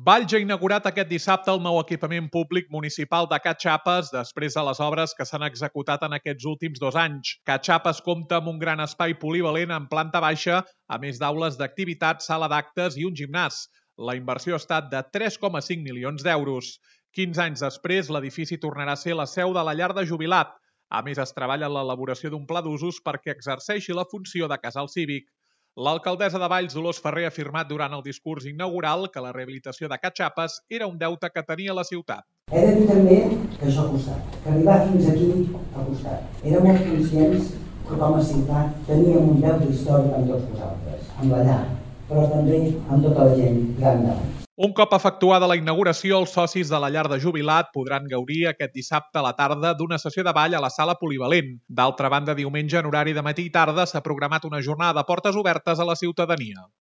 Valls ha inaugurat aquest dissabte el nou equipament públic municipal de Catxapes després de les obres que s'han executat en aquests últims 2 anys. Catxapes compta amb un gran espai polivalent en planta baixa, a més d'aules d'activitats, sala d'actes i un gimnàs. La inversió ha estat de 3,5 milions d'euros. 15 anys després, l'edifici tornarà a ser la seu de la llar de jubilat. A més, es treballa en l'elaboració d'un pla d'usos perquè exerceixi la funció de casal cívic. L'alcaldessa de Valls, Dolors Ferrer, ha afirmat durant el discurs inaugural que la rehabilitació de Catxapes era un deute que tenia la ciutat. He de dir també que això ha costat, que arribar fins aquí ha costat. Érem molt conscients que com a ciutat teníem un deute històric amb tots vosaltres, amb la llar, però també amb tota la gent gran de Valls. Un cop efectuada la inauguració, els socis de la llar de jubilat podran gaudir aquest dissabte a la tarda d'una sessió de ball a la sala polivalent. D'altra banda, diumenge en horari de matí i tarda s'ha programat una jornada de portes obertes a la ciutadania.